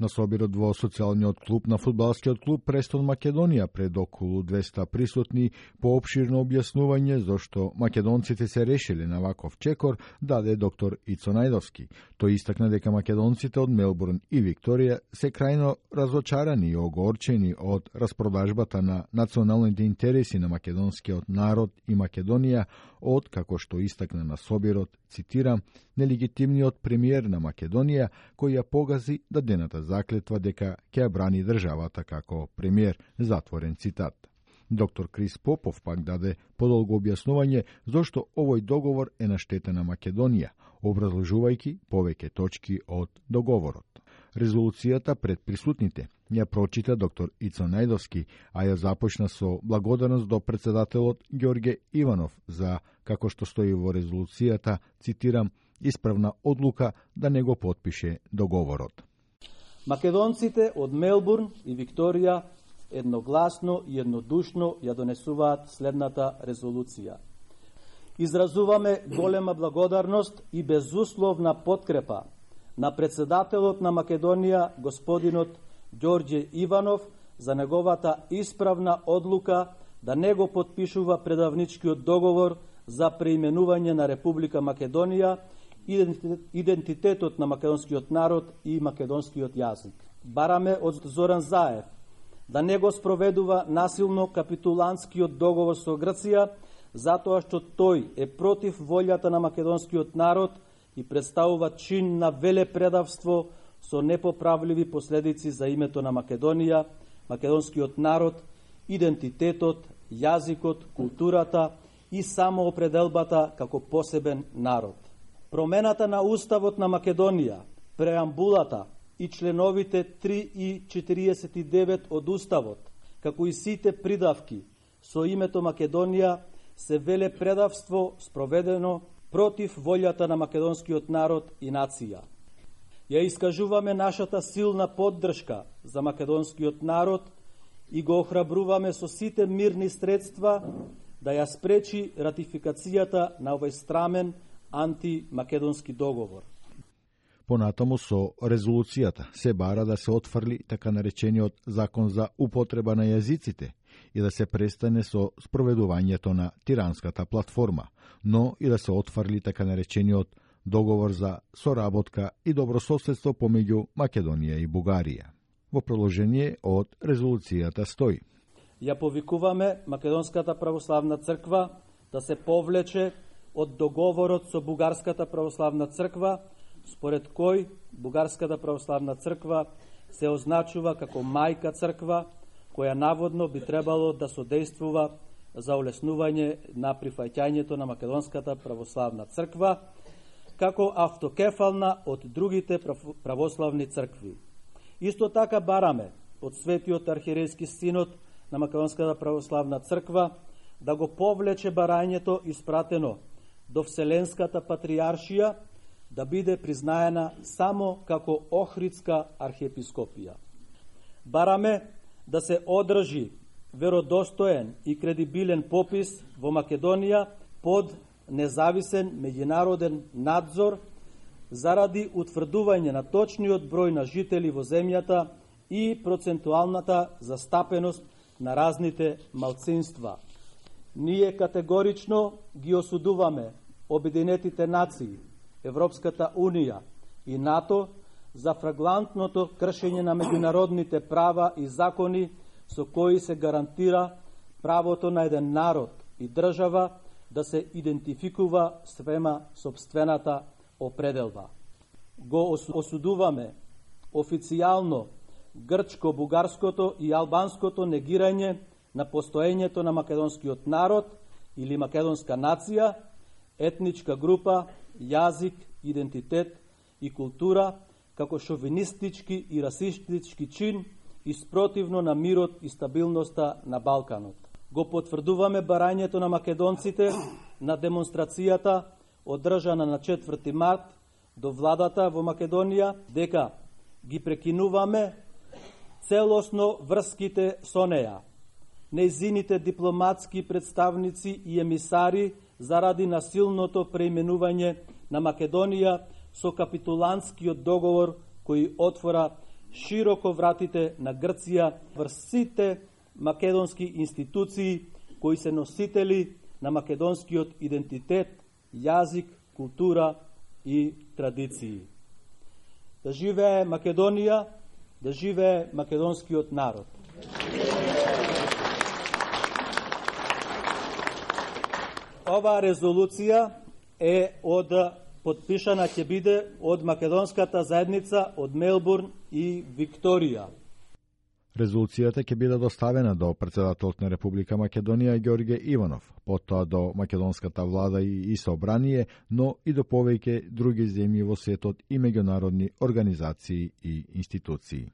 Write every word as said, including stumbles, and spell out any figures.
На собирот во социјалниот клуб на фудбалскиот клуб Престон Македонија пред околу двеста присутни по опширно објаснување зошто македонците се решиле на ваков чекор даде доктор Ицо Најдовски. Тој истакна дека македонците од Мелбурн и Викторија се крајно разочарани и огорчени од распродажбата на националните интереси на македонскиот народ и Македонија од, како што истакна на собирот, цитирам, нелегитимниот премиер на Македонија кој ја погази дадената заклетва дека ќе ја брани државата како премиер, затворен цитат. Доктор Крис Попов пак даде подолго објаснување зошто овој договор е на штета на Македонија, образложувајќи повеќе точки од договорот. Резолуцијата пред присутните ја прочита доктор Ицо Најдовски, а ја започна со благодарност до председателот Ѓорѓе Иванов за, како што стои во резолуцијата, цитирам, исправна одлука да не го потпише договорот. Македонците од Мелбурн и Викторија едногласно и еднодушно ја донесуваат следната резолуција. Изразуваме голема благодарност и безусловна подкрепа на председателот на Македонија, господинот Ѓорѓе Иванов, за неговата исправна одлука да не го потпишува предавничкиот договор за преименување на Република Македонија, идентитетот на македонскиот народ и македонскиот јазик. Бараме од Зоран Заев да не го спроведува насилно капитулантскиот договор со Грција, затоа што тој е против волјата на македонскиот народ и представува чин на велепредавство со непоправливи последици за името на Македонија, македонскиот народ, идентитетот, јазикот, културата и самоопределбата како посебен народ. Промената на Уставот на Македонија, преамбулата и членовите три и четириесет и девет од Уставот, како и сите придавки со името Македонија, се велепредавство спроведено против волјата на македонскиот народ и нација. Ја искажуваме нашата силна поддршка за македонскиот народ и го охрабруваме со сите мирни средства да ја спречи ратификацијата на овој страмен антимакедонски договор. Понатаму со резолуцијата се бара да се отфрли така наречениот закон за употреба на јазиците и да се престане со спроведувањето на тиранската платформа, но и да се отфрли така наречениот договор за соработка и добрососедство помеѓу Македонија и Бугарија. Во продолжение од резолуцијата стои: Ја повикуваме Македонската православна црква да се повлече од договорот со Бугарската православна црква, според кој Бугарската православна црква се означува како мајка црква, која наводно би требало да содействува за улеснување на прифаќањето на Македонската православна црква, како автокефална од другите православни цркви. Исто така бараме од Светиот архиерејски синод на Македонската православна црква да го повлече барањето испратено до Вселенската патријаршија да биде признаена само како Охридска архиепископија. Бараме да се одржи веродостоен и кредибилен попис во Македонија под независен меѓународен надзор заради утврдување на точниот број на жители во земјата и процентуалната застапеност на разните малцинства. Ние категорично ги осудуваме Обединетите нации, Европската унија и НАТО за флагрантното кршење на меѓународните права и закони со кои се гарантира правото на еден народ и држава да се идентификува свема сопствената определба. Го осудуваме официјално грчко-бугарското и албанското негирање на постоењето на македонскиот народ или македонска нација, етничка група, јазик, идентитет и култура како шовинистички и расистички чин и спротивно на мирот и стабилноста на Балканот. Го потврдуваме барањето на македонците на демонстрацијата одржана на четврти март до владата во Македонија дека ги прекинуваме целосно врските со неја, нејзините дипломатски представници и емисари заради насилното преименување на Македонија со капитулантскиот договор кој отвора широко вратите на Грција врз сите македонски институции кои се носители на македонскиот идентитет, јазик, култура и традиции. Да живее Македонија, да живее македонскиот народ. Ова резолуција е од подпишана ќе биде од македонската заедница од Мелбурн и Викторија. Резолуцијата ќе биде доставена до председателот на Република Македонија Ѓорѓе Иванов, потоа до македонската влада и собрание, но и до повеќе други земји во светот и меѓународни организации и институции.